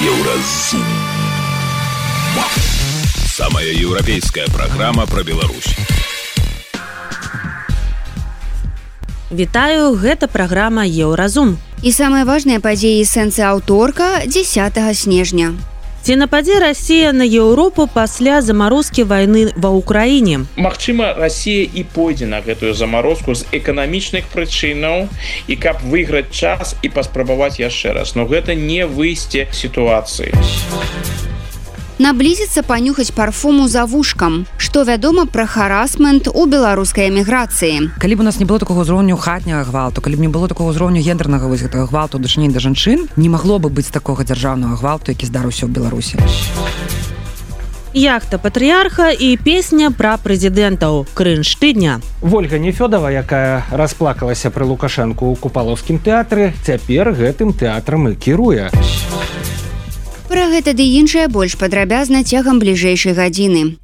Еўразум. Самая еўрапейская праграма пра Беларусь. Вітаю, гэта праграма Еўразум. І самыя важныя падзеі сэнсы аўторка 10 снежня. Ці нападзе Расія на Еўропу пасля замарозкі вайны ва Ўкраіне? Магчыма, Расія і пойдзе на гэтую замарозку з эканамічных прычынаў і каб выйграць час і паспрабаваць яшчэ раз. Но гэта не выйсце сітуацыі. Наблізіцца панюхаць парфуму за вушкам. Што вядома пра харасмент у беларускай эміграцыі? Калі б у нас не было такога ўзроўню хатняга гвалту, калі б не было такога ўзроўню гендернага гэтага гвалту ў дачыненні да жанчын, не магло бы быць такога дзяржаўнага гвалту, які здарыўся ў Беларусі. Яхта патрыярха і песня пра прэзідэнтаў. Крынж тыдня. Вольга Нефёдова, якая расплакалася пры Лукашэнку ў Купалаўскім тэатры, цяпер гэтым тэатрам і кіруе. Пра гэта ды іншае больш падрабязна цягам бліжэйшай гадзіны.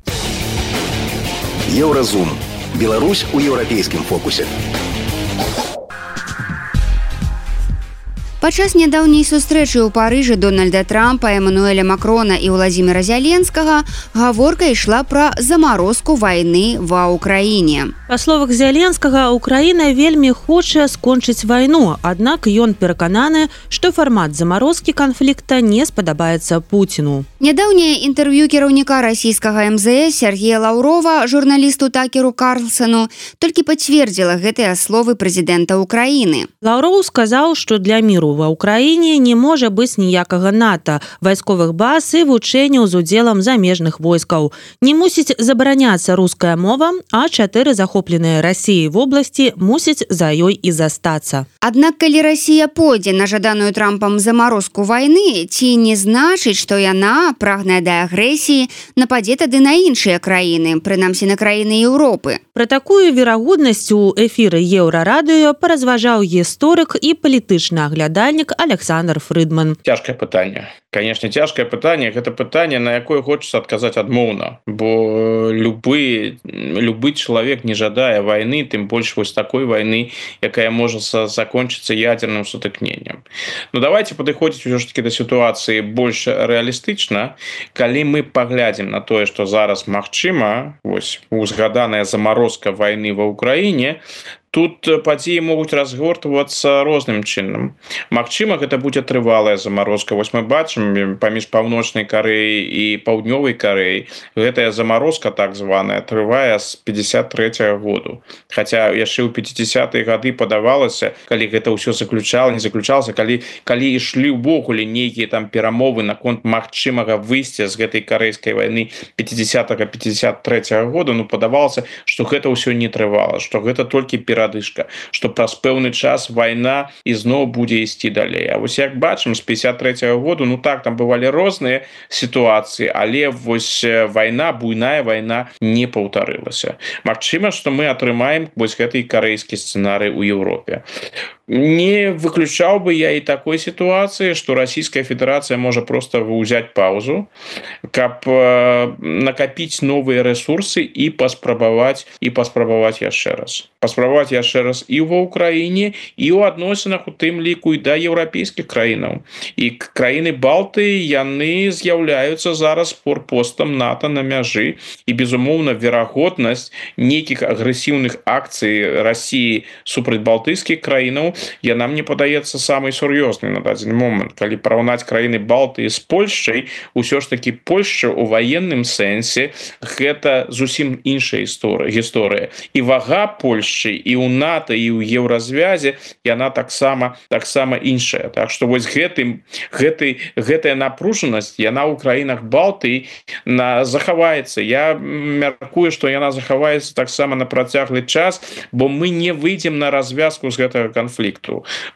Еўразум. Беларусь у еўрапейскім фокусе. Падчас нядаўняй сустрэчы ў Парыжы Дональда Трампа, Эмануэля Макрона і Владзіміра Зяленскага гаворка ішла пра замарозку вайны ва Ўкраіне. Па словах Зяленскага, Украіна вельмі хоча скончыць вайну, аднак ён перакананы, што фармат замарозкі канфлікта не спадабаецца Пуціну. Нядаўняе інтэрв'ю кіраўніка расійскага МЗС Сергея Лаўрова журналісту Такеру Карлсону толькі пацвердзіла гэтыя словы прэзідэнта Ўкраіны. Лаўроў сказаў, што для міру ва Ўкраіне не можа быць ніякага НАТО, вайсковых баз і вучэнняў з удзелам замежных войскаў. Не мусіць забараняцца руская мова, а 4 захопленыя Расіяй вобласці мусяць за ёй і застацца. Аднак, калі Расія пойдзе на жаданую Трампам замарозку вайны, ці не значыць, што яна, прагная да агрэсіі, нападзе тады на іншыя краіны, прынамсі на краіны Еўропы. Пра такую верагоднасць у эфіры Еўрарадыё паразважаў гісторык і палітычны аглядальнік Александр Фрыдман. Цяжкае пытанне. Конечно, цяжкае пытанне. Гэта пытанне, на якое хочацца адказаць адмоўна. Бо любы чалавек не жадае вайны, тым больш вось такой вайны, якая можа закончыцца ядерным сутыкненнем. Ну, давайте падыходзіць ўсё ж таки да сітуацыі больш рэалістычна. Калі мы паглядзім на тое, што зараз магчыма, вось узгаданая замарозка вайны ва Ўкраіне, тут падзеі могуць разгортвацца розным чынам. Магчыма, гэта будзе трывалая замарозка. Вось мы бачым паміж Паўночнай Карэяй і Паўднёвай Карэяй гэтая замарозка так званая трывае з 53-го году. Хаця яшчэ ў 50-е гады падавалася, калі гэта ўсё не заключалася, калі ішлі ўвогуле нейкія там перамовы наконт магчымага выйсця з гэтай карэйскай вайны 50-53-го году, ну падавалася, што гэта ўсё не трывала, што гэта толькі перадышка, што праз пэўны час вайна ізноў будзе ісці далей. А вось як бачым, з 53-го году, ну так, там бывалі розныя сітуацыі, але вось вайна, буйная вайна не паўтарылася. Магчыма, што мы атрымаем вось гэты карэйскі сцэнарый у Еўропе. Не выключаў бы я і такой сітуацыі, што Расійская Федэрацыя можа проста ўзяць паузу, каб накапіць новыя рэсурсы і паспрабаваць яшчэ раз. Паспрабаваць яшчэ раз і ва Ўкраіне, і ў адносінах у тым ліку і да еўрапейскіх краінаў. І краіны Балтыі, яны з'яўляюцца зараз форпостам НАТО на мяжы, і, безумоўна, верагоднасць нейкіх агрэсіўных акцый Расіі супраць балтыйскіх краінаў, яна мне падаецца самай сур'ёзнай на дадзены момант. Калі параўнаць краіны Балтыі з Польшчай, усё ж такі Польшча ў ваенным сэнсе гэта зусім іншая гісторыя. І вага Польшчы і ў НАТО, і ў еўразвязе яна таксама іншая. Так што вось гэтая напружанасць, яна ў краінах Балтыі захаваецца. Я мяркую, што яна захаваецца таксама на працяглы час, бо мы не выйдзем на развязку з гэтага канфлікту.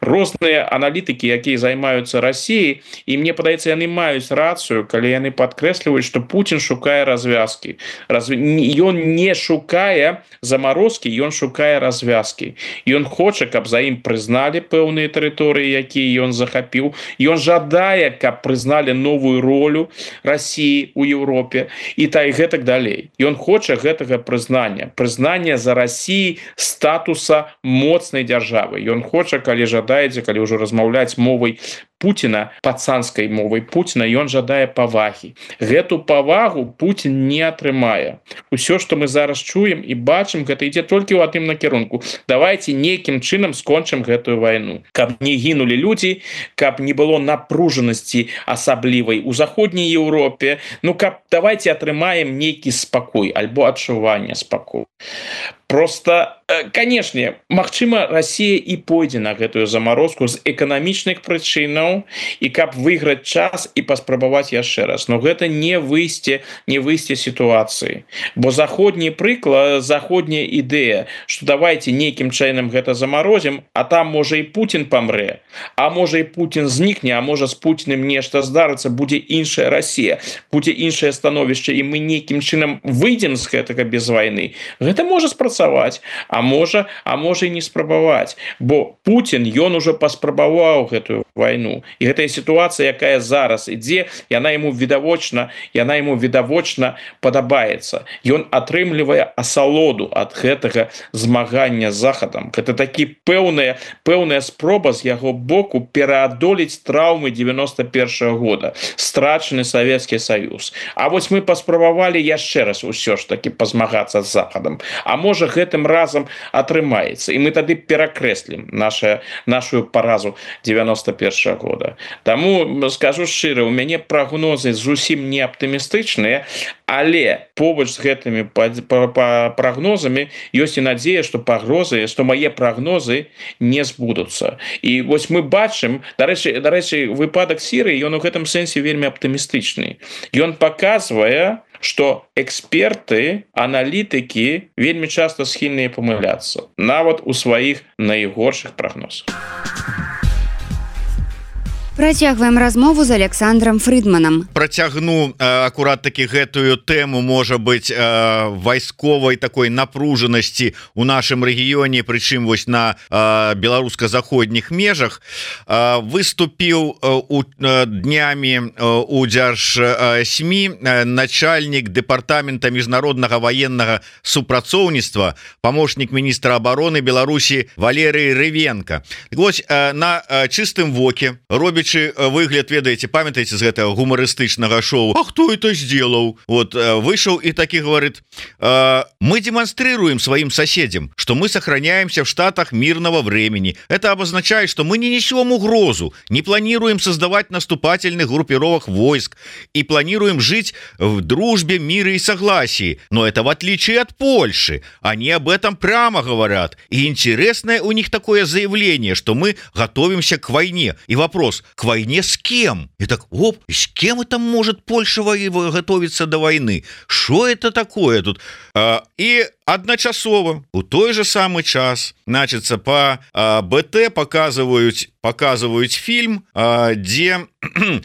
Розныя аналітыкі, якія займаюцца Расіяй, і мне падаецца, яны маюць рацыю, калі яны падкрэсліваюць, што Пуцін шукае развязкі. Ён не шукае замарозкі, ён шукае развязкі. Ён хоча, каб за ім прызналі пэўныя тэрыторыі, якія ён захапіў. Ён жадае, каб прызналі новую ролю Расіі ў Еўропе і гэтак далей. Ён хоча гэтага прызнання за Расіі статуса моцнай дзяржавы. Ён хоча, калі жадаеце, калі ўжо размаўляць мовай Путіна пацанскай мовай Путіна, ён жадае павагі. Гэту павагу Путін не атрымае. Усё, што мы зараз чуем і бачым, гэта ідзе толькі ў адным накірунку. Давайте нейкім чынам скончым гэтую вайну. Каб не гінулі людзі, каб не было напружанасці асаблівай у заходняй Еўропе, каб давайте атрымаем нейкі спакой альбо адчуванне спакою. Просто, канешне, магчыма, Расія і пойдзе на гэтую замарозку з эканамічных прычынаў і каб выйграць час і паспрабаваць яшчэ раз. Но гэта не выйсце сітуацыі. Бо заходні прыклад, заходняя ідэя, што давайте нейкім чынам гэта замарозім, а там можа і Путін памрэ, а можа і Путін знікне, а можа з Путінным нешта здарыцца, будзе іншая Расія, будзе іншае становішча, і мы нейкім чынам выйдзем з гэтага без вайны. Гэта можа спрацаваць. А можа і не спрабаваць, бо Путін ён ужо паспрабаваў гэтую вайну, і гэтая сітуацыя, якая зараз ідзе, яна яму відавочна падабаецца. Ён атрымлівае асалоду ад гэтага змагання з захадам. Гэта такі пэўная спроба з яго боку пераадолець траўмы 91-го года, страчаны Савецкі Саюз. А вось мы паспрабавалі яшчэ раз усё ж такі пазмагацца з захадам. А можа гэтым разам атрымаецца, і мы тады перакрэслім нашу паразу 91-го года. Таму скажу шчыра, у мяне прагнозы зусім не аптымістычныя, але побач з гэтымі прагнозамі ёсць і надзея, што мае прагнозы не збудуцца. І вось мы бачым, дарэчы, выпадак Сірыі, ён у гэтым сэнсе вельмі аптымістычны. Ён паказвае, што эксперты, аналітыкі вельмі часта схільныя памыляцца, нават у сваіх найгоршых прагнозах. Працягваем размову з Александром Фрыдманам. Працягну акурат такі гэтую тэму, можа быць, вайсковай такой напружанасці ў нашым рэгіёне, прычым вось на беларуска-заходніх межах. Выступіў днямі у Дзяржсмі начальнік дэпартамента міжнароднага ваеннага супрацоўніцтва, памочнік міністра абароны Беларусі Валерый Рывенко. Вось на чыстым воке робіць выгляд, ведаеце, памятаеце з гэтага гумарыстычнага шоу, а кто это сделал? Вот вышел и таки говорит: мы демонстрируем своим соседям, что мы сохраняемся в штатах мирного времени. Это обозначает, что мы не несем угрозу, не планируем создавать наступательных группировок войск и планируем жить в дружбе, мире и согласии. Но это в отличие от Польши. Они об этом прямо говорят. И интересное у них такое заявление, что мы готовимся к войне. И вопрос: к войне с кем? И так, с кем это может Польша готовиться до войны? Что это такое тут? И одночасово у той же самый час, значится, по БТ показывают фильм, где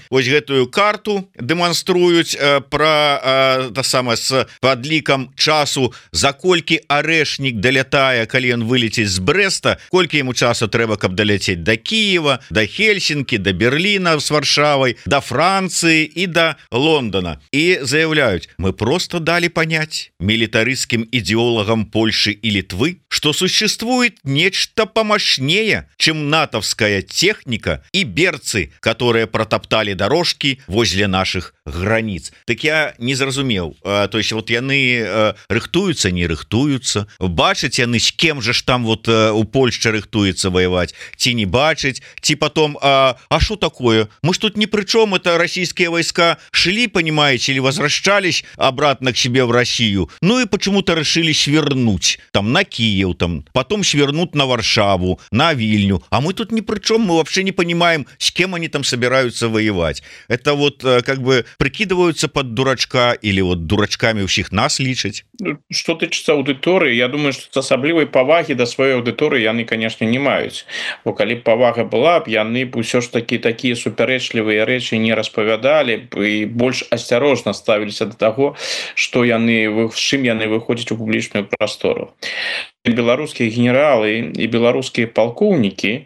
вось гэтую карту дэманструюць про с падлікам часу, за колькі арэшнік далятае, калі ён вылеціць з Брэста, колькі яму часу трэба, каб даляцець до Киева, до Хельсинки, до Берлина с Варшавой, до Франции и до Лондона. И заявляют: мы просто дали понять милитаристским идеологам Польши и Литвы, что существует нечто помощнее, чем натовская техника и берцы, которые протоптали дорожки возле наших границ. Так я не зразумеў, то есть вот яны рыхтуются, не рыхтуются, бачыць яны с кем же ж там вот у Польшчы рыхтуецца воевать, ці не бачыць, ці потом, а что такое, мы ж тут ни при чем, это российские войска шли, понимаете, или возвращались обратно к себе в Россию, ну и почему-то решили свернуть там на Киев, там потом свернут на Варшаву, на Вильню, а мы тут ни при чем, мы вообще не понимаем, с кем они там собираются воевать. Это вот как бы прикидываются под дурачка или вот дурачками всех нас лічаць. Что тычыцца аўдыторыі, я думаю, что асаблівай павагі да сваёй аўдыторыі яны, конечно, не маюць, бо калі б павага была б, яны б усё ж такі такія супярэчлівыя рэчы не распавядалі б і больш асцярожна ставіліся да таго, што яны, з чым яны выходзяць у публічную прастору. беларускія генералы і беларускія палкоўнікі,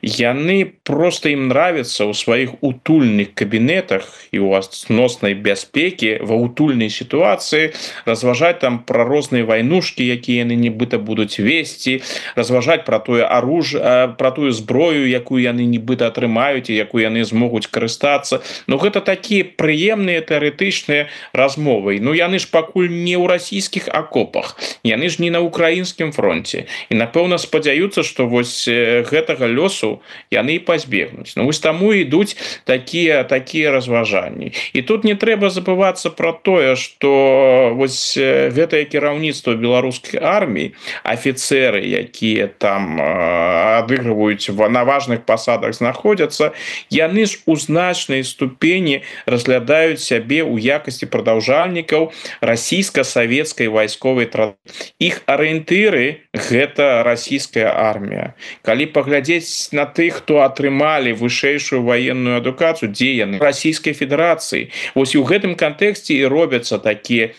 яны просто ім нравятся ў сваіх утульных кабінетах і у асноснай бяспекі ва утульнай сітуацыі разважаць там пра розныя вайнушкі, якія яны нібыта будуць весці, разважаць пра тое оружие, пра тую зброю, якую яны нібыта атрымаюць і якую яны змогуць карыстацца. Ну гэта такія прыемныя тэарэтычныя размовы. Ну яны ж пакуль не ў расійскіх акопах, яны ж не на украінскім фронте. І напэўна спадзяюцца, што вось гэтага лёсу яны і пазбегнуць. Ну вось таму ідуць такія разважанні. І тут не трэба забывацца пра тое, што вось гэтае кіраўніцтва беларускай арміі, афіцеры, якія там адыгрываюць на важных пасадах знаходзяцца, яны ж у значнай ступені разглядаюць сябе ў якасці прадаўжальнікаў расійска-савецкай вайсковай традыцыі. Іх арыентыры гэта расійская армія. Калі паглядзець на тых, хто атрымалі вышэйшую ваенную адукацыю, дзе яны? Расійскай Федэрацыі. Вось у гэтым кантэксце і робяцца такія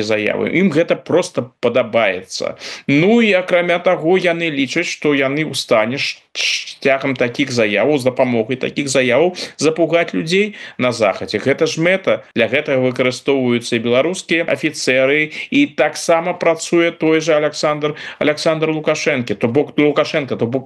заявы. Ім гэта просто падабаецца. Ну і акрамя таго, яны лічаць, што яны ў стане шляхам такіх заяваў, з дапамогай такіх заяваў запугаць людзей на захадзе. Гэта ж мэта. Для гэтага выкарыстоўваюцца і беларускія афіцеры, і таксама працуе той же Александр Лукашенко, то бок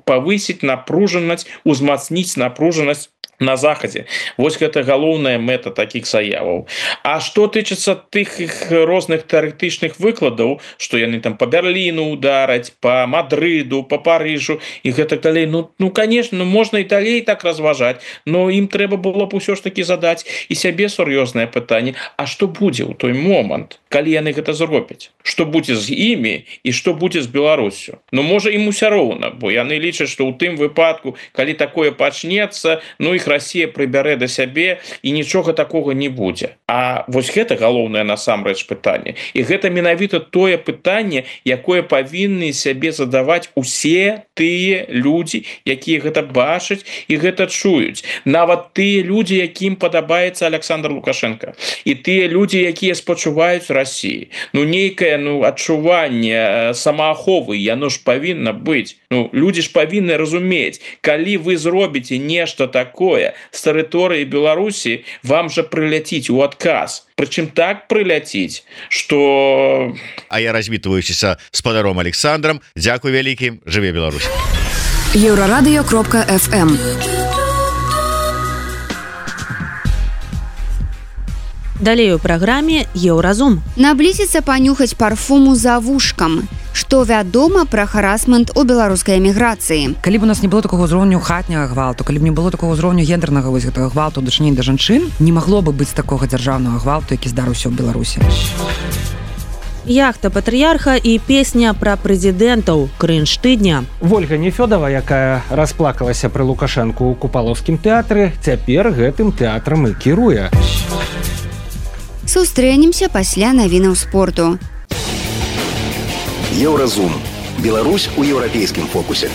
павысіць напружанасць, узмацніць напружанасць на захадзе. Вось гэта галоўная мэта такіх заяваў. А што тычыцца тых розных тэарэтычных выкладаў, што яны там па Берліну удараць, па Мадрыду, па Парыжу і гэтак далей, ну конечно, можна і далей так разважаць, но ім трэба было б усё ж такі задаць і сябе сур'ёзнае пытанне: а што будзе ў той момант, калі яны гэта зробяць? Што будзе з імі і што будзе з Беларусю? Ну можа ім усё роўна, бо яны лічаць, што ў тым выпадку, калі такое пачнецца, ну іх Расія прыбярэ да сябе і нічога такога не будзе. А вось гэта галоўнае насамрэч пытанне. І гэта менавіта тое пытанне, якое павінны сябе задаваць усе тыя людзі, якія гэта бачаць і гэта чуюць. Нават тыя людзі, якім падабаецца Александр Лукашенко. І тыя людзі, якія спачуваюць Расіі. Ну нейкае адчуванне самааховы, яно ж павінна быць. Ну людзі ж павінны разумець, калі вы зробіце нешта такое з тэрыторыі Беларусі, вам жа прыляціць у адказ. Прычым так прыляціць, што... А я развітваюся з спадаром Александром. Дзякуй вялікі. Жыве Беларусь. Еўрарадыё.фм. Далей у праграме Еўразум. Наблізіцца панюхаць парфуму за вушкам. Што вядома пра харасмент у беларускай эміграцыі? Калі б у нас не было такого ўзроўню хатняга гвалту, калі б не было такого ўзроўню гендернага вось гэтага гвалту дачынення да жанчын, не магло бы быць такога дзяржаўнага гвалту, які здарыўся ў Беларусі. Яхта патрыярха і песня пра прэзідэнтаў. Крынж тыдня. Вольга Нефёдова, якая расплакалася пры Лукашэнку ў Купалаўскім тэатры, цяпер гэтым тэатрам і кіруе. Сустрэнемся пасля навінаў спорту. Еўразум. Беларусь у еўрапейскім фокусе.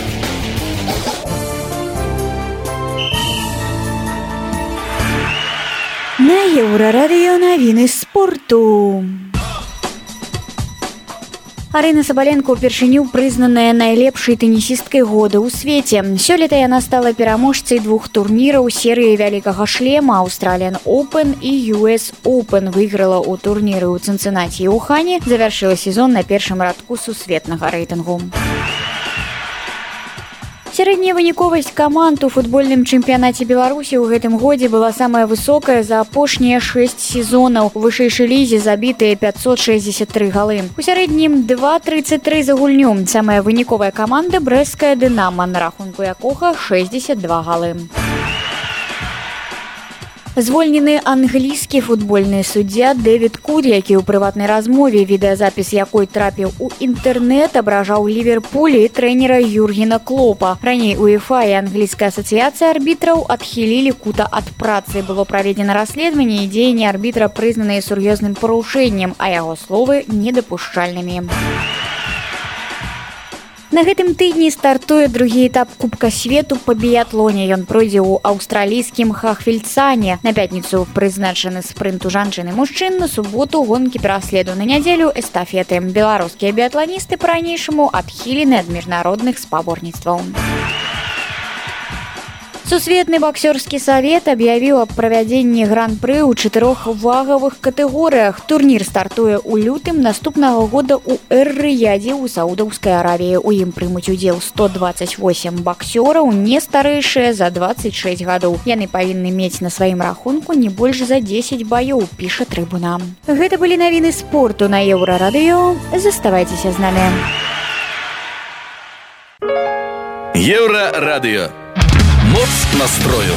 На Еўрарадыё навіны спорту. Арына Сабаленко ўпершыню прызнаная найлепшай тэнісісткай года ў свеце. Сёлета яна стала пераможцай 2 турніраў серыі вялікага шлема Australian Open і US Open. Выйграла ў турніры ў Цінцынаці і Ухане, завяршыла сезон на першым радку сусветнага рэйтынгу. Сярэдняя выніковасць каманд у футбольным чэмпіянаце Беларусі ў гэтым годзе была самая высокая за апошнія 6 сезонаў. У вышэйшай лізе забітыя 563 галы. У сярэднім 2,33 за гульню. Самая выніковая каманда брэсцкая «Дынама», на рахунку якога 62 галы. Звольнены англійскі футбольны суддзя Дэвід Куд, які ў прыватнай размове, відэазапіс якой трапіў у інтэрнэт, абражаў Ліверпуль і трэнера Юргена Клопа. Раней УЕФА і англійская асацыяцыя арбітраў адхілілі Кута ад працы. Было праведзена расследаванне і дзеянні арбітра прызнаныя сур'ёзным парушэннем, а яго словы недапушчальнымі. На гэтым тыдні стартуе другі этап Кубка свету па біятлоне. Ён пройдзе ў аўстралійскім Хахвельцане. На пятніцу прызначаны спрынт у жанчын і мужчын, на суботу гонкі пераследу, на нядзелю эстафеты. Беларускія біятланісты па-ранейшаму адхілены ад міжнародных спаборніцтваў. Сусветны боксёрскі савет аб'явіў аб правядзенні гран-пры ў 4 вагавых катэгорыях. Турнір стартуе ў лютым наступнага года ў Эр-Рыядзе ў Саудаўскай Аравіі. У ім прымуць удзел 128 боксёраў, не старэйшыя за 26 гадоў. Яны павінны мець на сваім рахунку не больш за 10 баёў, піша Трыбуна. Гэта былі навіны спорту на Еўрарадыё. Заставайцеся з намі. Еўрарадыё. Моц настрою.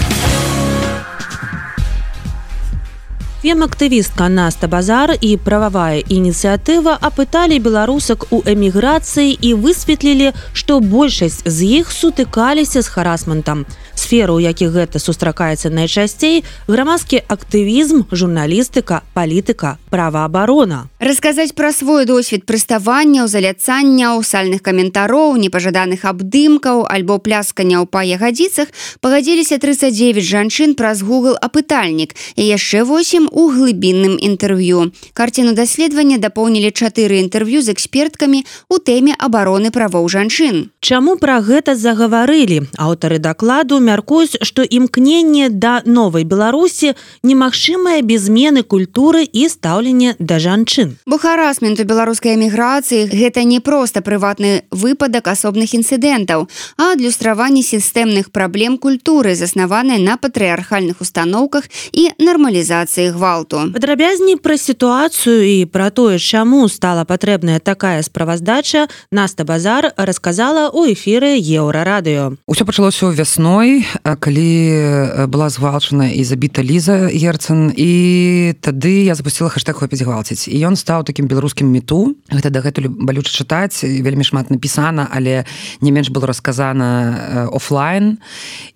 Фем-актывістка Наста Базар і прававая ініцыятыва апыталі беларусак у эміграцыі і высветлілі, што большасць з іх сутыкаліся з харасментам. Сферы, у якіх гэта сустракаецца найчасцей, грамадскі актывізм, журналістыка, палітыка, праваабарона. Расказаць пра свой досвед прыставанняў, заляцанняў, сальных каментароў, непажаданых абдымкаў альбо плясканняў па ягадзіцах пагадзіліся 39 жанчын праз Google апытальнік і яшчэ 8 у глыбінным інтэрв'ю. Карціну даследавання дапоўнілі 4 інтэрв'ю з эксперткамі ў тэме абароны правоў жанчын. Чаму пра гэта загаварылі? Аўтары дакладу мяркуюць, што імкненне да новай Беларусі немагчымае без змены культуры і стаўлення да жанчын. Бо харасмент у беларускай эміграцыі гэта не проста прыватны выпадак асобных інцыдэнтаў, а адлюстраванне сістэмных праблем культуры, заснаванай на патрыархальных установках і нармалізацыі гвалту. Падрабязней пра сітуацыю і пра тое, чаму стала патрэбная такая справаздача, Наста Базар расказала ў эфіры Еўрарадыё. Усё пачалося вясной, калі была згвалчана і забіта Ліза Герцен, і тады я запусціла хэштэг «Хопіць гвалціць». І ён стаў такім беларускім міту. Гэта дагэтуль балюча чытаць, вельмі шмат напісана, але не менш было расказана офлайн.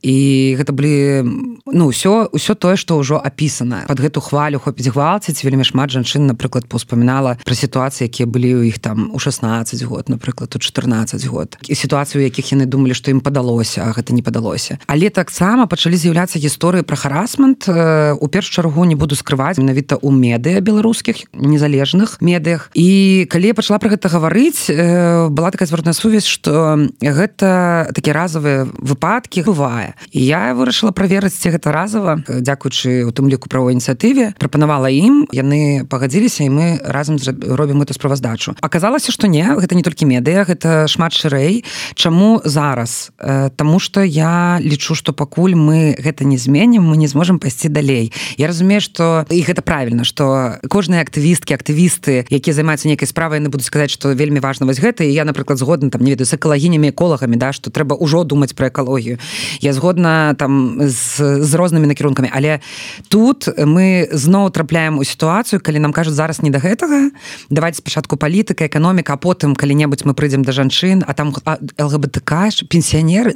І гэта былі ўсё тое, што ўжо апісана. Пад гэту хвалю «Хопіць гвалціць» вельмі шмат жанчын, напрыклад, паўспамінала пра сітуацыі, якія былі ў іх там у 16 год, напрыклад, у 14 год. І сітуацыю, у якіх яны думалі, што ім падалося, а гэта не падалося. Але таксама пачалі з'яўляцца гісторыі пра харасмент. У першую чаргу не буду скрываць, менавіта ў медыа беларускіх, незалежных медыях. І калі я пачала пра гэта гаварыць, была такая зваротная сувязь, што гэта такія разавыя выпадкі бывае. І я вырашыла праверыць, ці гэта разава, дзякуючы у тым ліку правовой ініцыятыве, прапанавала ім, яны пагадзіліся, і мы разам робім эту справаздачу. Аказалася, што не, гэта не толькі медыа, гэта шмат шырэй. Чаму зараз? Таму што я лічу, што пакуль мы гэта не зменім, мы не зможам пайсці далей. Я разумею, што і гэта правільна, што кожныя актывісткі, актывісты, якія займаюцца нейкай справай, яны будуць сказаць, што вельмі важна вось гэта, і я, напрыклад, згодна там, не ведаю, з экалагінямі, эколагамі, да, што трэба ўжо думаць пра экалогію. Я згодна там з рознымі накірункамі, але тут мы зноў трапляем у сітуацыю, калі нам кажуць зараз не да гэтага, давайте спачатку палітыка, эканоміка, а потым калі-небудзь мы прыйдзем да жанчын, а там ЛГБТК, пенсіянеры,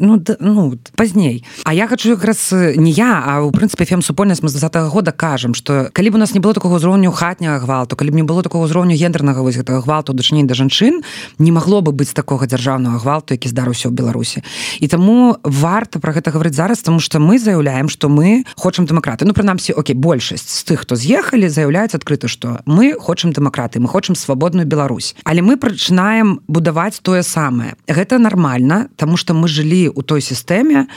пазней. А я хочу якраз не я, а ў прынцыпе фем-супольнасць мы з 20-го года кажам, што калі б у нас не было такога ўзроўню хатняга гвалту, калі б не было такога ўзроўню гендернага вось гэтага гвалту ў дачыненні да жанчын, не магло бы быць такога дзяржаўнага гвалту, які здарыўся ў Беларусі. І таму варта пра гэта гаварыць зараз, таму што мы заяўляем, што мы хочам дэмакраты. Прынамсі, большасць з тых, хто з'ехалі, заяўляюць адкрыта, што мы хочам дэмакраты, мы хочам свабодную Беларусь. Але мы пачынаем будаваць тое самае. Гэта нармальна, таму што мы жылі ў той сістэме,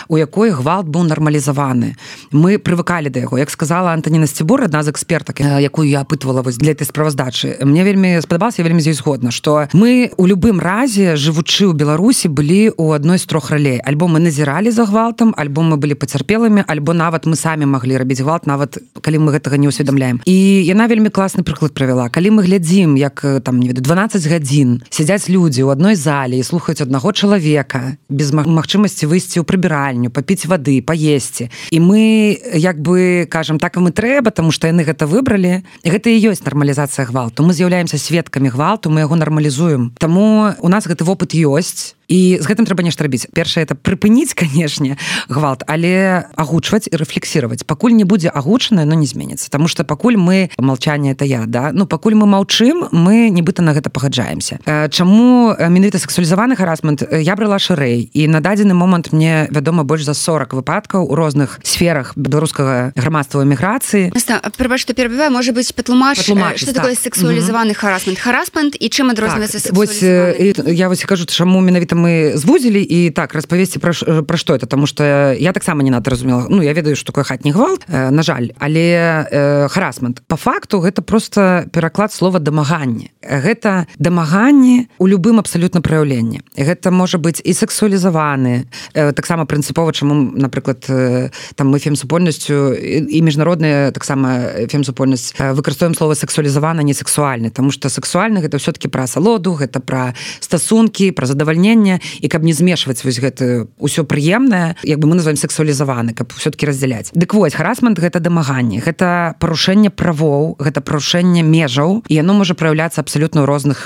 у якой гвалт быў нармалізаваны. Мы прывыкалі да яго. Як сказала Антаніна Сцібур, адна з экспертак, якую я апытвала для этой справаздачы, мне вельмі спадабалася, я вельмі з ёй згодна, што мы у любым разе, жывучы ў Беларусі, былі ў адной з 3 ралей. Альбо мы назіралі за гвалтам, альбо мы былі пацярпелымі, альбо нават мы самі маглі рабіць гвалт, нават калі мы гэтага не ўсведамляем. І яна вельмі класны прыклад правяла. Калі мы глядзім, як там, не ведаю, 12 гадзін сядзяць людзі ў адной зале і слухаюць аднаго чалавека без магчымасці выйсці ў прыбіральню, папіць вады, паесці. І мы як бы кажам, так вам і трэба, таму што яны гэта выбралі. І гэта і ёсць нармалізацыя гвалту. Мы з'яўляемся сведкамі гвалту, мы яго нармалізуем. Таму у нас гэты вопыт ёсць. і з гэтым трэба нешта рабіць. Першае это прыпыніць, канешне, гвалт, але агучваць і рэфлексіраваць. Пакуль не будзе агучанае, но не зменіцца, таму што пакуль мы молчание это я, да, ну пакуль мы маўчым, мы нібыта на гэта пагаджаемся. Чаму менавіта сексуалізаваны харасмент? Я брала шырэй, і на дадзены момант мне вядома больш за 40 выпадкаў у розных сферах беларускага грамадства эміграцыі. Прабач, што перабіваю, можа быць, патлумач, што такое сексуалізаваны харасмент? Харасмент і чым адрозніваецца сексуалізаваны? Я вось кажу, чаму менавіта мы звузілі і так распавесці пра што это, таму што я таксама не надо разумела. Ну, я ведаю, што такое хатні гвалт, на жаль, але харасмент. Па факту гэта просто пераклад слова дамаганне. Гэта дамаганне у любым абсалютна праяўленні. Гэта можа быць і сексуалізаваны, таксама прынцыпова, чаму, напрыклад, там мы фемсупольнасцю і міжнародная таксама фемсупольнасць выкарыстоўваем слова сексуалізавана, не сексуальны, таму што сексуальны гэта ўсё-таки пра асалоду, гэта пра стасункі, пра задавальненне, і каб не змешваць вось гэта ўсё прыемнае, як бы мы называем сексуалізаваны, каб ўсё-таки раздзяляць. Дык вось, харасмент гэта дамаганне, гэта парушэнне правоў, гэта парушэнне межаў, і яно можа праяўляцца абсалютна ў розных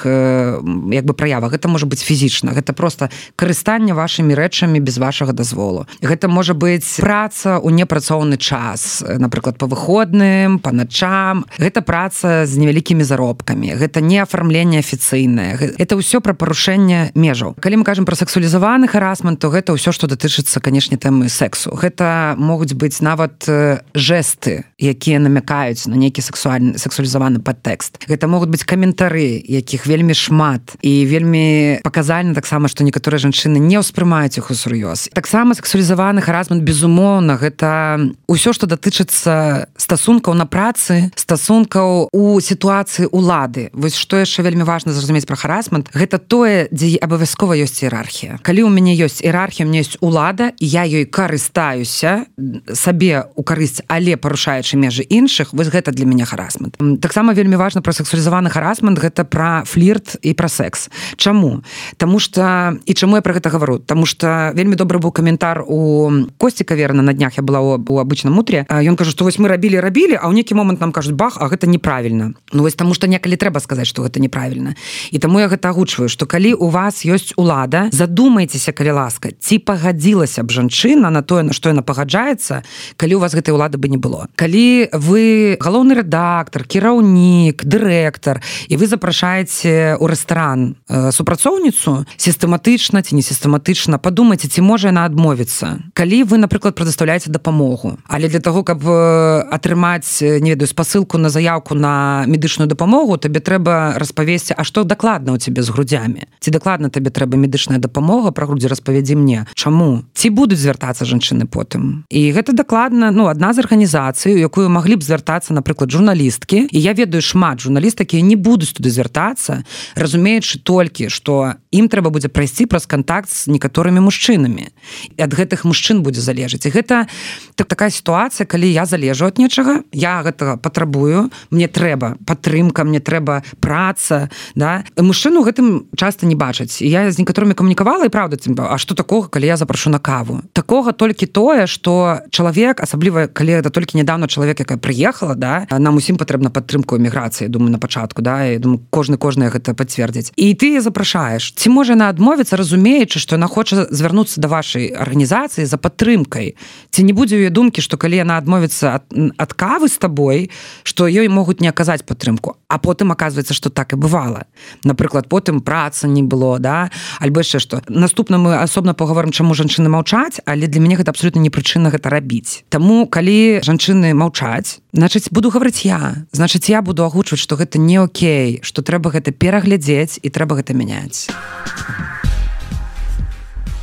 як бы праявах. Гэта можа быць фізічна, гэта просто карыстанне вашымі рэчамі без вашага дазволу. Гэта можа быць праца ў непрацоўны час, напрыклад, па выходным, па начам. Гэта праца з невялікімі заробкамі, гэта не афармленне афіцыйнае. Это ўсё пра парушэнне межаў. Калі мы кажам пра сексуалізаваны харасмент, то гэта ўсё, што датычыцца, канешне, тэмы сексу. Гэта могуць быць нават жэсты, якія намякаюць на нейкі сексуалізаваны падтэкст. Гэта могуць быць каментары, якіх вельмі шмат, і вельмі паказальна таксама, што некаторыя жанчыны не ўспрымаюць іх усур'ёз. Таксама сексуалізаваны харасмент, безумоўна, гэта ўсё, што датычыцца стасункаў на працы, стасункаў у сітуацыі ўлады. Вось што яшчэ вельмі важна зразумець пра харасмент, гэта тое, дзе абавязкова ёсць іерархія. Калі ў мяне ёсць іерархія, у мяне ёсць улада, і я ёй карыстаюся сабе ў карысць, але парушаючы межы іншых, вось гэта для мяне харасмент. Таксама вельмі важна пра сексуалізаваны харасмент, гэта пра флірт і пра секс. Чаму? Таму што, і чаму я пра гэта гавару? Таму што вельмі добры быў каментар у Косці Каверна, на днях я была у абычным утре, ён кажа, што вось мы рабілі, а ў нейкі момант нам кажуць, бах, а гэта неправільна. Ну вось таму што некалі трэба сказаць, што гэта неправільна. І таму я гэта агучваю, што калі у вас ёсць улада, задумайцеся, калі ласка, ці пагадзілася б жанчына на тое, на што яна пагаджаецца, калі у вас гэтай улады бы не было. Калі вы галоўны рэдактар, кіраўнік, дырэктар, і вы запрашаеце ў рэстаран супрацоўніцу, сістэматычна ці не сістэматычна, падумайце, ці можа яна адмовіцца. Калі вы, напрыклад, прадастаўляеце дапамогу, але для таго, каб атрымаць, не ведаю, спасылку на заяўку на медычную дапамогу, табе трэба распавесці, а што дакладна ў цябе з грудзямі? Ці дакладна табе трэба медычная дапамога, пра грудзі распавядзі мне. Чаму? Ці будуць звяртацца жанчыны потым? І гэта дакладна, адна з арганізацый, у якую маглі б звяртацца, напрыклад, журналісткі, і я ведаю шмат журналістак, якія не будуць туды звяртацца, разумеючы толькі, што ім трэба будзе прайсці праз кантакт з некаторымі мужчынамі. І ад гэтых мужчын будзе залежаць. І гэта такая сітуацыя, калі я залежу ад нечага, я гэтага патрабую, мне трэба падтрымка, мне трэба праца, да? Мужчыну гэтым часта не бачаць. І я з некаторымі камунікавала, і правда, а што такога, калі я запрашу на каву? Такога толькі тое, што чалавек, асабліва, калі гэта толькі нядаўна чалавек, якая прыехала, да? Нам усім патрэбна падтрымку эміграцыі, думаю, на пачатку, да? І думаю, кожны гэта пацвердзіць. І ты яе запрашаеш. Ці можа яна адмовіцца, разумеючы, што яна хоча звярнуцца да вашай арганізацыі за падтрымкай? Ці не будзе ў яе думкі, што калі яна адмовіцца ад кавы з табой, што ёй могуць не аказаць падтрымку? А потым аказваецца, што так і бывала. Напрыклад, потым праца не было, да? Альбо яшчэ што. Наступна мы асобна паговорым, чаму жанчыны маўчаць, але для мяне гэта абсолютна не прычына гэта рабіць. Таму, калі жанчыны маўчаць, значыць, буду гаварыць я. Значыць, я буду агучваць, што гэта не окей, што трэба гэта пераглядзець і трэба гэта мяняць.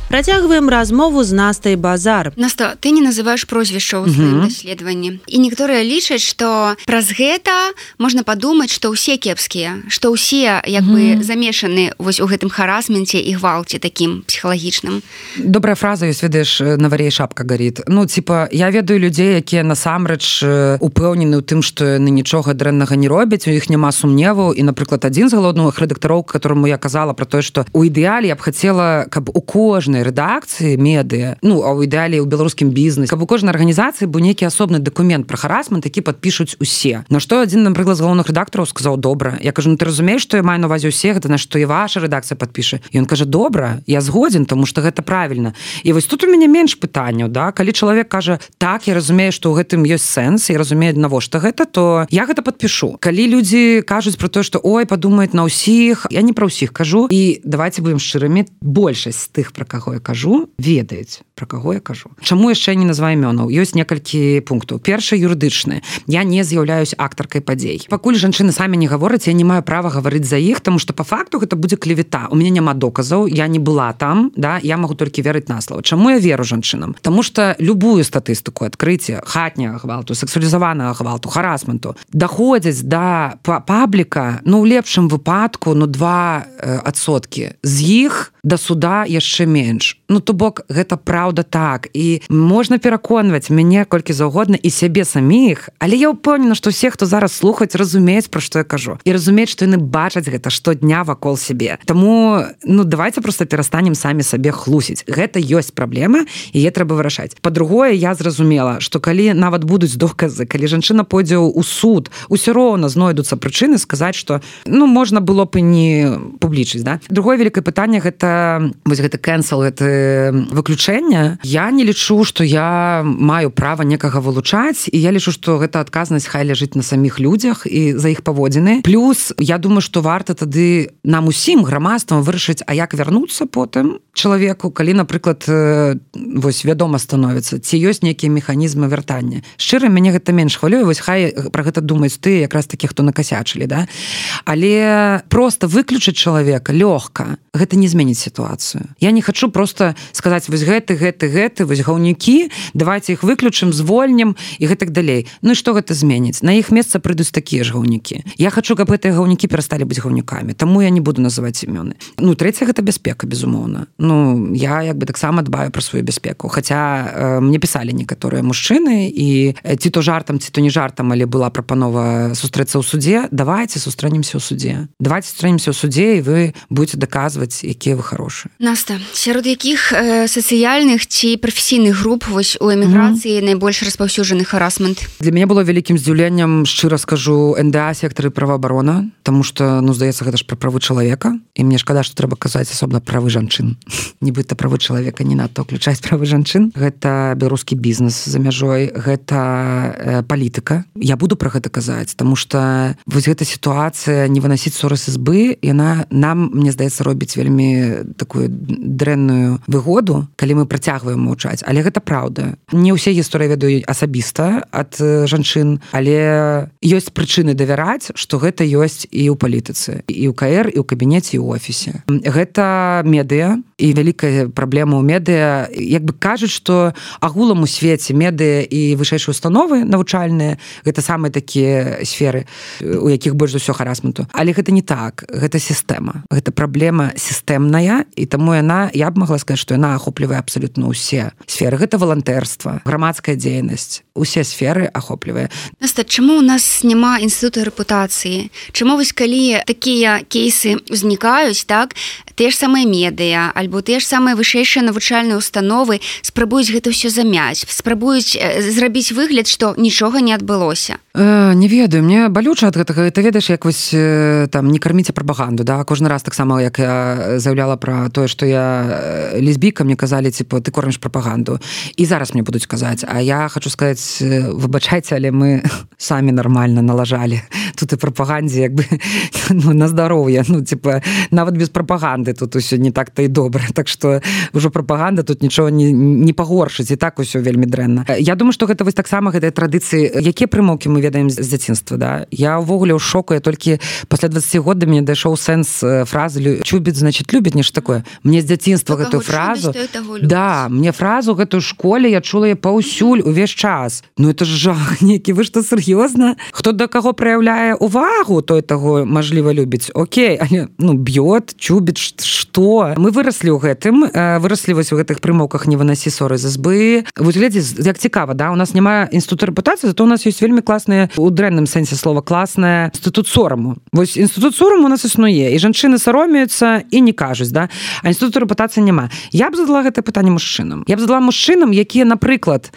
Працягваем размову з Настай Базар. Наста, ты не называеш прозвішча ў сваім даследаванні. І некаторыя лічаць, што праз гэта можна падумаць, што ўсе кепскія, што ўсе як бы замешаны вось у гэтым харасменце і гвалце такім псіхалагічным. Добрая фраза ёсць, ведаеш, на вар'е шапка гаріт. Ну, типа, я ведаю людзей, якія насамрэч упэўнены ў тым, што яны нічога дрэннага не робяць, у іх няма сумневаў. І, напрыклад, адзін з галоўных рэдактароў, которому я казала пра тое, што у ідэале я б хацела, каб у кожнай кожнай рэдакцыі медыа, ну а ў ідэале ў беларускім бізнесе, каб у кожнай арганізацыі быў нейкі асобны дакумент пра харасмент, які падпішуць усе. На што адзін, напрыклад, з галоўных рэдактараў сказаў: добра. Я кажу: ну ты разумееш, што я маю на ўвазе ўсе, гэта на што і ваша рэдакцыя падпіша. І ён кажа: добра, я згодзін, тому што гэта правільна. І вось тут у мяне менш пытанняў, да? Калі чалавек кажа: так, я разумею, што ў гэтым ёсць сэнс, я разумею, навошта гэта, то я гэта падпішу. Калі людзі кажуць пра тое, што ой, падумаюць на ўсіх, я не пра ўсіх кажу. І давайте будем шчырымі, большасць з тых, пра каго я кажу, ведаюць, пра каго я кажу. Чаму яшчэ не называю імёнаў? Ёсць некалькі пунктаў. Першы — юрыдычны. Я не з'яўляюсь актаркай падзей. Пакуль жанчыны самі не гавораць, я не маю права гаварыць за іх, тому што па факту гэта будзе клевета. У мяне няма доказаў, я не была там, да, я магу толькі верыць на слова. Чаму я веру жанчынам? Таму што любую статыстыку адкрыцця хатняга гвалту, сексуалізаванага гвалту, харасменту даходзяць да пабліка, ну ў лепшым выпадку, ну 2%. З іх да суда яшчэ менш. Ну то бок гэта праўда так. І можна пераконваць мяне колькі заўгодна і сябе саміх, але я ўпэўнена, што ўсе, хто зараз слухаюць, разумеюць, пра што я кажу. І разумеюць, што яны бачаць гэта штодня вакол сябе. Таму, ну давайте просто перастанем самі сабе хлусіць. Гэта ёсць праблема, і яе трэба вырашаць. Па-другое, я зразумела, што калі нават будуць доказы, калі жанчына пойдзе ў суд, усё роўна знойдуцца прычыны сказаць, што ну можна было б і не публічыць, да? Другое вялікае пытанне — гэта вось гэты кэнсел, гэта выключэнне. Я не лічу, што я маю права некага вылучаць, і я лічу, што гэта адказнасць хай ляжыць на саміх людзях і за іх паводзіны. Плюс я думаю, што варта тады нам усім грамадствам вырашыць, а як вярнуцца потым чалавеку, калі, напрыклад, вось вядома становіцца, ці ёсць нейкія механізмы вяртання. Шчыра, мяне гэта менш хвалюе, вось хай пра гэта думаюць ты, якраз такі, хто накасячылі, да? Але проста выключыць чалавека лёгка, гэта не зменіць сітуацыю. Я не хачу просто сказаць вось гэты, вось гаўнікі, давайте іх выключым, звольнем і гэтак далей. Ну і што гэта зменіць? На іх месца прыйдуць такія ж гаўнікі. Я хачу, каб гэтыя гаўнікі перасталі быць гаўнікамі, таму я не буду называць імёны. Ну, трэцяе — гэта бяспека, безумоўна. Ну, я як бы таксама дбаю пра сваю бяспеку. Хаця мне пісалі некаторыя мужчыны, і ці то жартам, ці то не жартам, але была прапанова сустрэцца ў судзе. Давайте сустрэнемся ў судзе. Давайте сустрэнемся ў судзе, і вы будете даказваць, якія вы хорошыя. Наста, сярод якіх сацыяльных ці прафесійных груп вось у эміграцыі найбольш распаўсюджаны харасмент? Для мяне было вялікім здзіўленнем, шчыра скажу, НДА, сектары праваабарона, таму што, ну, здаецца, гэта ж пра правы чалавека, і мне шкада, што трэба казаць асобна правы жанчын. Нібыта правы чалавека не надта ўключаць правы жанчын. Гэта беларускі бізнес за мяжой, гэта палітыка. Я буду пра гэта казаць, таму што вось гэта сітуацыя не вынасіць ссоры з ізбы, яна нам, мне здаецца, робіць вельмі такую дрэнную выгоду, калі мы працягваем маўчаць. Але гэта праўда. Не ўсе гісторыі ведаю асабіста ад жанчын, але ёсць прычыны давяраць, што гэта ёсць і ў палітыцы, і ў КР, і ў кабінеце, і ў офісе. Гэта медыа, і вялікая праблема ў медыа. Як бы кажуць, што агулам у свеце медыа і вышэйшыя установы навучальныя — гэта самыя такія сферы, у якіх больш за ўсё харасменту. Але гэта не так. Гэта сістэма. Гэта праблема сістэмная, і таму яна, я б магла сказаць, што яна ахоплівае абсалютна ўсе сферы. Гэта валантэрства, грамадская дзейнасць, усе сферы ахоплівае. Наста, чаму ў нас няма інстытуту рэпутацыі? Чаму вось калі такія кейсы ўзнікаюць, так, тыя ж самыя медыа, альбо тыя ж самыя вышэйшыя навучальныя установы спрабуюць гэта ўсё замяць, спрабуюць зрабіць выгляд, што нічога не адбылося? Не ведаю, мне балюча ад гэтага. Ты ведаеш, як вось там не карміце прапаганду, да? Кожны раз таксама, як я заяўляла пра тое, што я лесбійка, мне казалі, типа, ты корміш прапаганду. І зараз мне будуць казаць, а я хочу сказаць, выбачайце, але мы самі нармальна налажалі тут і прапагандзе, як бы, ну, на здароўе, ну, типа, нават без прапаганды тут усё не так-то і добра. Так што ўжо прапаганда тут нічого не пагоршыць, і так усё вельмі дрэнна. Я думаю, што гэта вось таксама гэтыя традыцыі, якія прымаўкі мы ведаем з дзяцінства, да? Я ўвогуле ў шоку, я толькі пасля 20 год да мяне дайшоў сэнс фразы «чубіць, значит, любіць», нешта такое. Мне з дзяцінства гэтую фразу... Да, мне фразу гэтую ў школе я чула я паўсюль увесь час. Ну, это ж жах нейкі, вы што, сур'ёзна? Хто да каго праяўляе звяртае увагу, той таго, мажліва, любіць. Окей, але, б'ёт, чубіць, што? Мы выраслі ў гэтым, выраслі вось у гэтых прымаўках «не вынасі ссоры з избы». Вось глядзі, як цікава, да? У нас няма інстытута рэпутацыі, зато у нас ёсць вельмі класныя, у дрэнным сэнсе слова, класная інстытут сораму. Вось інстытут сораму у нас існуе, і жанчыны саромеюцца і не кажуць, да? А інстытуту рэпутацыі няма. Я б задала гэтае пытанне мужчынам. Я б задала мужчынам, якія, напрыклад,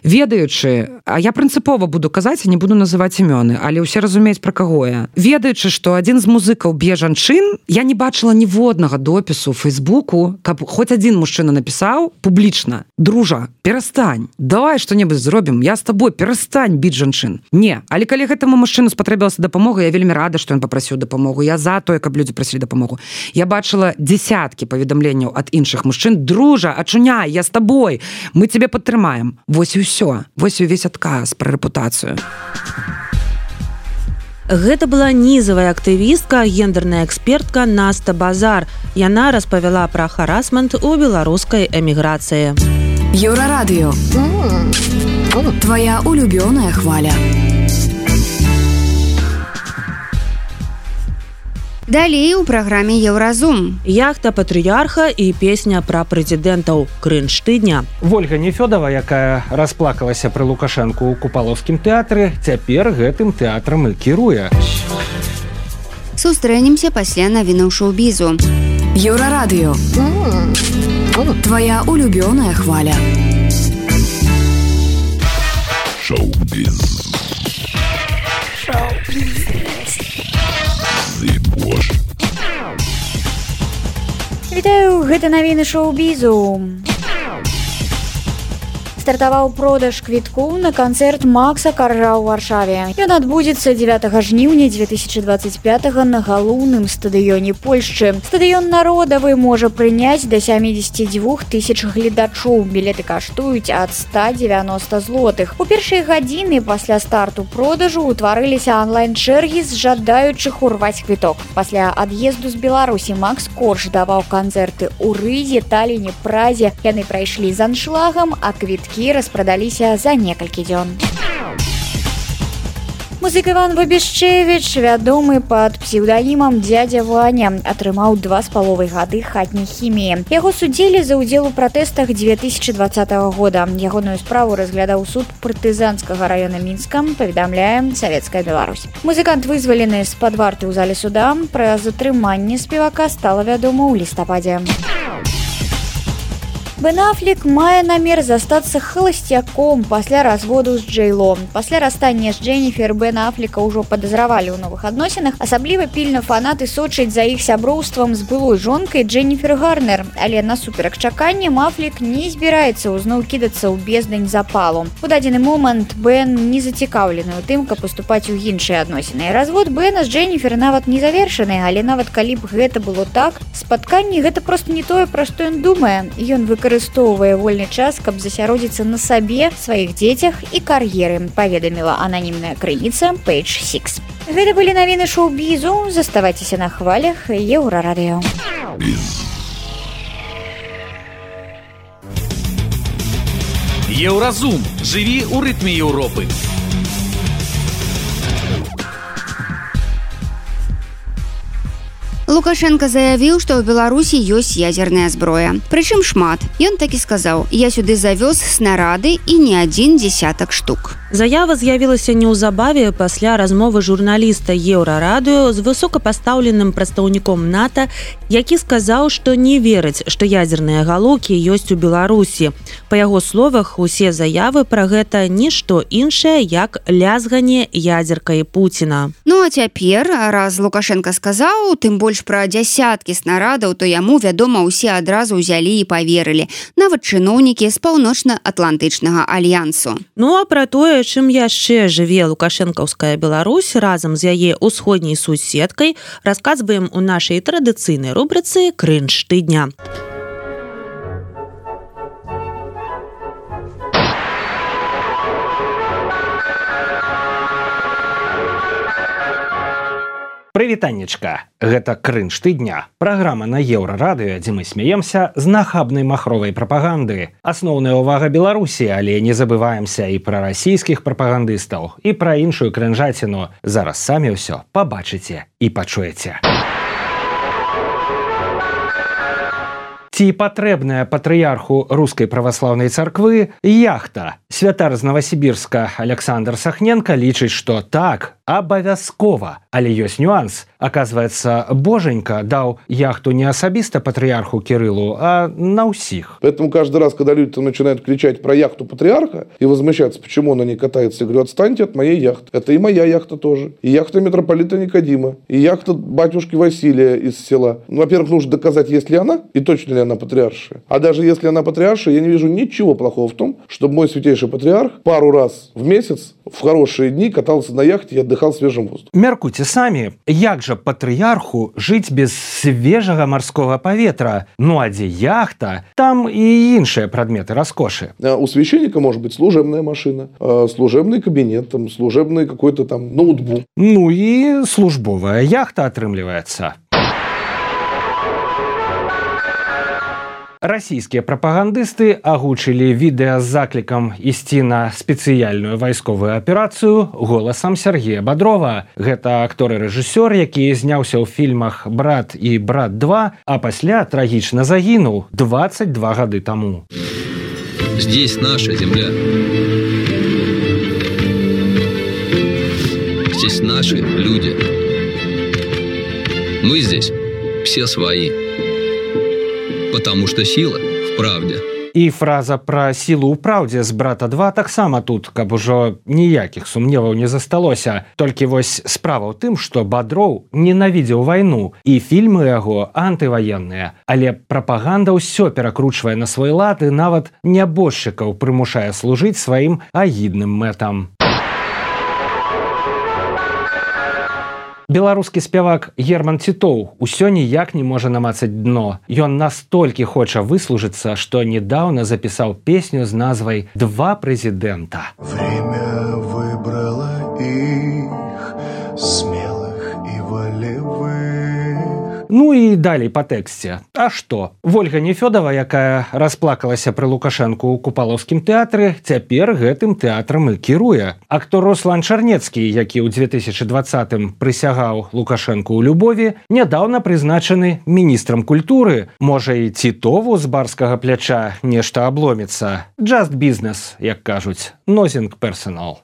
ведаючы, а я прынцыпова буду казаць, не буду называць імёны, але ўсе разумеюць, пра каго я. Ведаючы, што адзін з музыкаў б'е жанчын, я не бачыла ніводнага допісу ў Фейсбуку, каб хоць адзін мужчына напісаў публічна: «Дружа, перастань, давай што-небудзь зробім, я з табой, перастань біць жанчын». Не, але калі гэтаму мужчыну спатрэбілася дапамога, я вельмі рада, што ён папрасіў дапамогу. Я за тое, каб людзі прасілі дапамогу. Я бачыла дзесяткі паведамленняў ад іншых мужчын: «Дружа, ачуняй, я з табой, мы цябе падтрымаем». Вось і ўсё. Вось увесь адказ пра рэпутацыю. Гэта была нізавая актывістка, гендерная экспертка Наста Базар. Яна распавяла пра харасмент у беларускай эміграцыі. Еўрарадыё. Твоя улюбёная хваля. Далей у праграме «Еўразум». Яхта патрыярха і песня пра прэзідэнтаў. Крынж тыдня. Вольга Нефёдова, якая расплакалася пры Лукашэнку ў Купалаўскім тэатры, цяпер гэтым тэатрам і кіруе. Сустрэнемся пасля навінаў шоу-бізу. Еўрарадыё. Твоя улюбёная хваля. Шоу-біз. Вітаю, гэта навіны шоу-бізу. Стартаваў продаж квіткоў на канцэрт Макса Каржа ў Варшаве. Ён адбудзецца 9 жніўня 2025 на галоўным стадыёне Польшчы. Стадыён народавы можа прыняць да 72 тысяч гледачоў. Білеты каштуюць ад 190 злотых. У першыя гадзіны пасля старту продажу ўтварыліся онлайн-чэргі з жадаючых урваць квіток. Пасля ад'езду з Беларусі Макс Корж даваў канцэрты ў Рызе, Таліне, Празе. Яны прайшлі з аншлагам, а квіткі распрадаліся за некалькі дзён. Музык Іван Вабішчевіч, вядомы пад псеўданімам «Дзядзя Ваня», атрымаў 2,5 гады хатняй хіміі. Яго судзілі за ўдзел у пратэстах 2020 года. Ягоную справу разглядаў суд партызанскага раёна Мінска, паведамляе Савецкая Беларусь. Музыкант вызвалены з-пад варты ў зале суда. Пра затрыманне спевака стала вядома ў лістападзе. Бен Аффлек мае намер застацца холасцяком пасля разводу з Джей-Ло. Пасля расстання з Дженніфер Бена Аффлека ўжо падазравалі ў новых адносінах. Асабліва пільна фанаты сочаць за іх сяброўствам з былой жонкай Дженніфер Гарнер. Але насуперак чаканням Аффлек не збіраецца ўзноў кідацца ў бездань запалу. У дадзены момант Бен не зацікаўлены ў тым, каб паступаць у іншыя адносіны. Развод Бена з Дженніфер нават не завершаны, але нават калі б гэта было так, спатканне гэта проста не тое, пра што ён думае. Ён выкарыстоўвае вольны час, каб засяродзіцца на сабе, сваіх дзецях і кар'еры, паведаміла ананімная крыніца Page 6. Гэта былі навіны шоу-бізу. Заставайцеся на хвалях Еўрарадыё. Еўразум. Жыві ў рытме Еўропы. Лукашенко заявіў, што ў Беларусі ёсць ядзерная зброя. Прычым шмат. Ён так і сказаў: «Я сюды завёз снарады і не адзін дзесятак штук». Заява з'явілася неўзабаве пасля размовы журналіста Еўрарадыё з высокапастаўленым прадстаўніком НАТО, які сказаў, што не верыць, што ядзерныя галоўкі ёсць у Беларусі. Па яго словах, усе заявы пра гэта нішто іншае, як лязганне ядзеркай Пуціна. Ну а цяпер, раз Лукашенко сказаў, тым больш пра дзясяткі снарадаў, то яму, вядома, усе адразу ўзялі і паверылі. Нават чыноўнікі з паўночна-атлантычнага альянсу. Ну а пра тое, чым яшчэ жыве лукашэнкаўская Беларусь разам з яе ўсходняй суседкай, расказваем у нашай традыцыйнай рубрыцы «Крынж тыдня». Прывітаннечка, гэта крынж тыдня. Праграма на Еўрарадыё, дзе мы смеемся з нахабнай махровай прапаганды. Асноўная ўвага Беларусі, але не забываемся і пра расійскіх прапагандыстаў, і пра іншую крынжаціну. Зараз самі ўсё пабачыце і пачуеце. Ці патрэбная патрыярху рускай праваслаўнай царквы яхта? Святар з Новасібірска Александр Сахненко лічыць, што так, абавязкова. Але ёсць нюанс. Оказывается, Боженька дал яхту не особисто патриарху Кириллу, а на усих. Поэтому каждый раз, когда люди там начинают кричать про яхту патриарха и возмущаться, почему она не катается, я говорю, отстаньте от моей яхты. Это и моя яхта тоже. И яхта митрополита Никодима. И яхта батюшки Василия из села. Ну, во-первых, нужно доказать, есть ли она и точно ли она патриаршая. А даже если она патриаршая, я не вижу ничего плохого в том, чтобы мой святейший патриарх пару раз в месяц в хорошие дни катался на яхте и отдыхал свежим воздухом. Мяркуйте самі, як жа патрыярху жыць без свежага марскога паветра? Ну а дзе яхта, там і іншыя прадметы раскошы. У священника может быть служебная машина, служебный кабинет, там, служебный какой-то там ноутбук. Ну і службовая яхта атрымліваецца. Расійскія прапагандысты агучылі відэа з заклікам ісці на спецыяльную вайсковую аперацыю голасам Сергея Бодрова. Гэта актор і рэжысёр, які зняўся ў фільмах «Брат» і «Брат 2», а пасля трагічна загінуў 22 гады таму. Здесь наша земля. Здесь наши люди. Мы здесь все свои. Потому что сила в правде. І фраза пра сілу ў праўдзе з «Брата 2» таксама тут, каб ужо ніякіх сумневаў не засталося. Толькі вось справа ў тым, што Бадроў ненавідзеў вайну, і фільмы яго антываенныя. Але прапаганда ўсё перакручвае на свой лад і нават нябожчыкаў прымушае служыць сваім агідным мэтам. Беларускі спявак Герман Титоў усё ніяк не можа намацаць дно. Ён настолькі хоча выслужыцца, што недаўна запісаў песню з назвай «Два прэзідэнта». Время выбрало их, смелых и волевых. Ну і далей па тэксце. А што? Вольга Нефёдова, якая расплакалася пры Лукашэнку ў Купалаўскім тэатры, цяпер гэтым тэатрам і кіруе. Актор Руслан Чарнецкі, які ў 2020-м прысягаў Лукашэнку ў любові, нядаўна прызначаны міністрам культуры. Можа і Титову з барскага пляча нешта абломіцца. Just business, як кажуць. Nothing personal.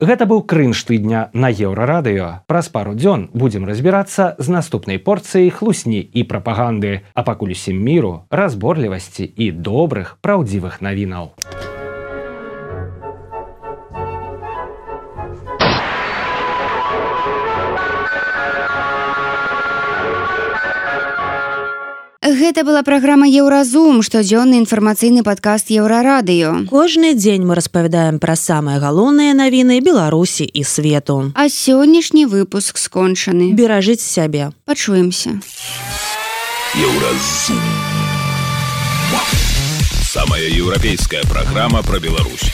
Гэта быў крынж тыдня на Еўрарадыё. Праз пару дзён будзем разбірацца з наступнай порцыяй хлусні і прапаганды. А пакуль усім міру, разборлівасці і добрых, праўдзівых навінаў. Гэта была праграма «Еўразум», штодзённы інфармацыйны падкаст Еўрарадыё. Кожны дзень мы распавядаем пра самыя галоўныя навіны Беларусі і свету. А сённяшні выпуск скончаны. Беражыць сябе. Пачуемся. Еўразум. Самая еўрапейская праграма пра Беларусь.